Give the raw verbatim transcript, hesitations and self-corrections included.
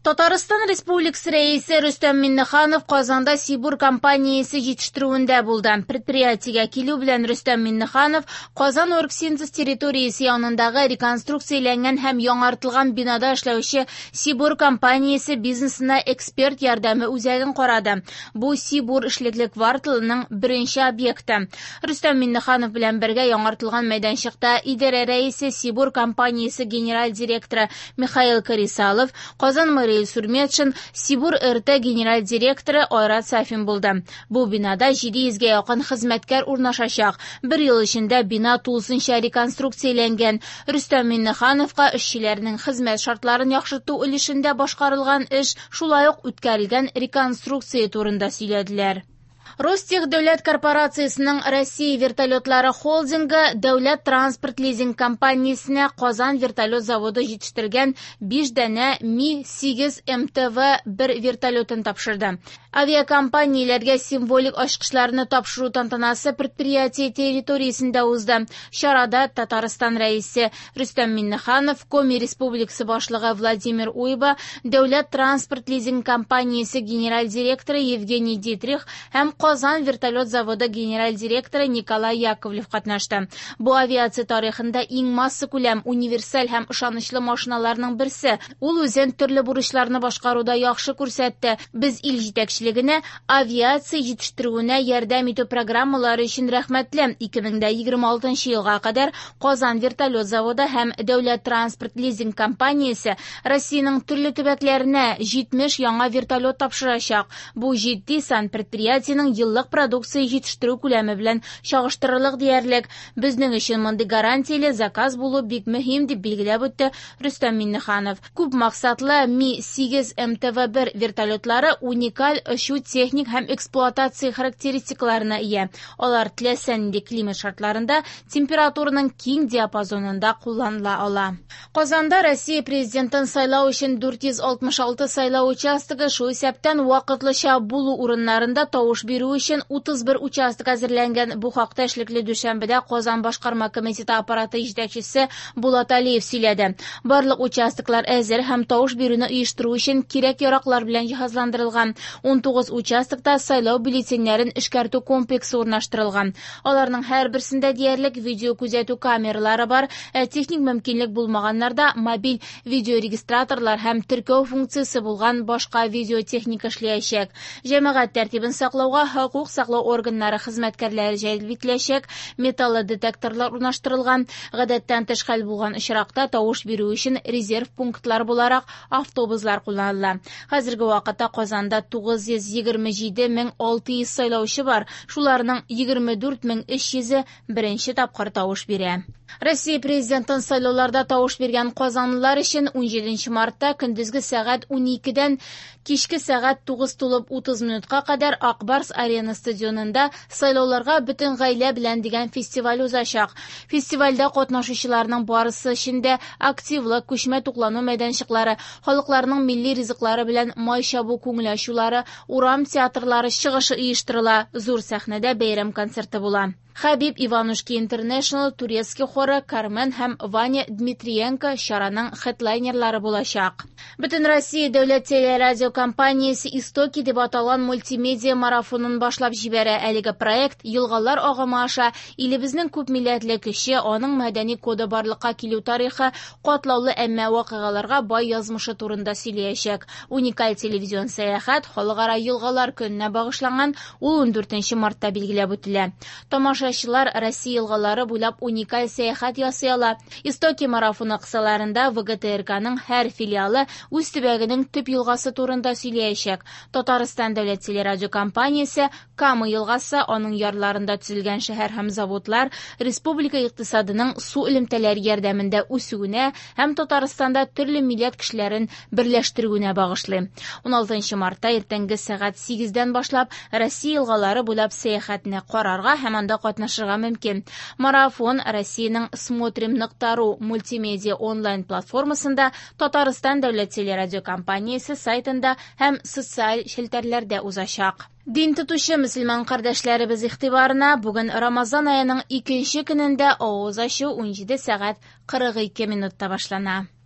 Татарстан Республикасы Рәисе Рөстәм Миңнеханов Казанда Сибур компаниясе җитештерүендә булды. Предприятиегә килү белән Рөстәм Миңнеханов Казан Оргсинтез территориясе янындагы реконструкцияләнгән һәм яңартылган бинада эшләүче Сибур компаниясе бизнесына эксперт ярдәме үзәген карады. Бу Сибур эшлекле кварталының беренче объекты. Рөстәм Миңнеханов белән бергә яңартылган мәйданчыкта идарә рәисе, Сибур компаниясе генераль директоры Михаил Карисалов, Казан мэры Илсур Метшин, Сибур Р Т генераль директоры Айрат Сафин булды. Бу бинада җиде йөзгә якын хезмәткәр урнашачак. Бер ел эчендә бина тулысынча реконструкцияләнгән. Рөстәм Миңнехановка эшчеләрнең хезмәт шартларын яхшырту өлешендә башкарылган эш, шулай ук үткәрелгән реконструкция турында сөйләделәр. Ростех дәүләт корпорациясенең Россия вертолетлары холдингы дәүләт транспорт лизинг компаниясенә Казан вертолет заводы җитештергән биш данә Ми-сигез М Т В бер вертолетын тапшырды. Авиакомпанияләргә символик ачкычларны тапшыру тантанасы предприятие территориясендә узды. Чарада Татарстан Рәисе Рөстәм Миңнеханов, Коми Республикасы башлыгы Владимир Уйба, дәүләт транспорт лизинг компаниясе генераль директоры Евгений Дитрих һәм Казан вертолет заводы генераль директоры Николай Яковлев катнашты. Бу авиация тарихында иң массакүләм, универсаль һәм ышанычлы машиналарның берсе. Ул үзен төрле бурычларны башкаруда яхшы күрсәтте. Без ил җитәкчелегенә авиация җитештерүенә ярдәм итү программалары өчен рәхмәтле. ике мең егерме алтынчы елга кадәр Казан вертолет заводы һәм дәүләт транспорт лизинг компаниясе Россиянең төрле төбәкләренә җитмеш яңа вертолет тапшырачак. Бу җитди сан, предприятиенең еллык продукция җитештерү күләме белән чагыштырырлык диярлек. Безнең өчен мондый гарантияле заказ булу бик мөһим, дип билгеләп үтте Рөстәм Миңнеханов. Күп максатлы Ми-сигез М Т В бер вертолетлары уникаль очу, техник һәм эксплуатация характеристикаларына ия. Алар теләсә нинди климат шартларында, температураның киң диапазонында кулланыла ала. Казанда Россия президентын сайлау өчен дүрт йөз алтмыш алты сайлау участогы, шул исәптән вакытлыча булу урыннарында тавыш бирү өчен утыз бер участок әзерләнгән. Бу хакта эшлекле дүшәмбедә Казан башкарма комитеты аппараты җитәкчесе Булат Алиев сөйләде. Барлык участоклар әзер һәм тавыш бирүне оештыру өчен кирәк-яраклар белән җиһазландырылган. унтугыз участокта сайлау бюллетеньнәрен эшкәртү комплексы урнаштырылган. Аларның һәрберсендә диярлек видео күзәтү камералары бар, ә техник мөмкинлек булмаганнарда мобиль видеорегистраторлар һәм теркәү функциясе булган башка видеотехника эшләячәк. Җәмәгать тәртибен саклауга хокук саклау органнары хезмәткәрләре җәлеп ителәчәк, металлодетекторлар урнаштырылган. Гадәттән тыш хәл булган очракта тавыш бирү өчен резерв пунктлар буларак автобуслар кулланыла. Хәзерге вакытта Казанда тугыз йөз егерме җиде мең алты йөз сайлаучы бар. Шуларның егерме дүрт мең өч йөзе беренче тапкыр тавыш бирә. Россия президентын сайлауларда тавыш биргән казанлылар өчен унҗиденче мартта көндезге сәгать уникедән кичке сәгать тугыз тулып утыз минутка кадәр Ак Барс Арена стадионында "Сайлауларга бөтен гаилә белән" дигән фестиваль узачак. Фестивальдә катнашучыларның барысы өчен дә активлык, күчмә туклану мәйданчыклары, халыкларның милли ризыклары белән Май чабу күңел ачулары, урам театрлары чыгышы оештырыла, зур сәхнәдә бәйрәм концерты була. Хәбиб Иванушки Интернешнл, Турецкий хоры, Кармен һәм Ваня Дмитриенко чараның хедлайнерлары булачак. Бөтен Россия дәүләт телерадиокомпаниясе "Истоки" дип аталган мультимедиа марафонын башлап җибәрә. Әлеге проект елгалар агымы аша илебезнең күп милләтле көче, аның мәдәни коды барлыкка килү тарихы, катлаулы, әмма вакыйгаларга бай язмышы турында сөйләячәк. Уникаль телевизион сәяхәт Халыкара елгалар көненә багышланган, ул ундүртенче мартта билгеләп үтелә. Тамашачылар Россия елгалары буйлап уникаль сәяхәт ясый ала. "Истоки" марафоны кысаларында В Г Т Р Кның һәр филиалы үз төбәгенең төп елгасы турында сөйләячәк. Татарстан дәүләт телерадиокомпаниясе Кама елгасы, аның ярларында төзелгән шәһәр һәм заводлар, республика икътисадының су элемтәләре ярдәмендә үсүенә һәм Татарстанда төрле милләт кешеләрен берләштерүенә багышлый. уналтынчы мартта иртәнге сәгать сигездән башлап Россия елгалары буйлап сәяхәтне карарга һәм анда катнашырга мөмкин. Марафон Россиянең смотрим нокта ру мультимедиа онлайн платформасында, Татарстан дәүләт телерадиокомпаниясе сайтында һәм социаль челтәрләрдә узачак. Дин тотучы мөселман кардәшләребез игътибарына: бүген Рамазан аеның икенче көнендә авыз ачу унҗиде сәгать кырык ике минутта башлана.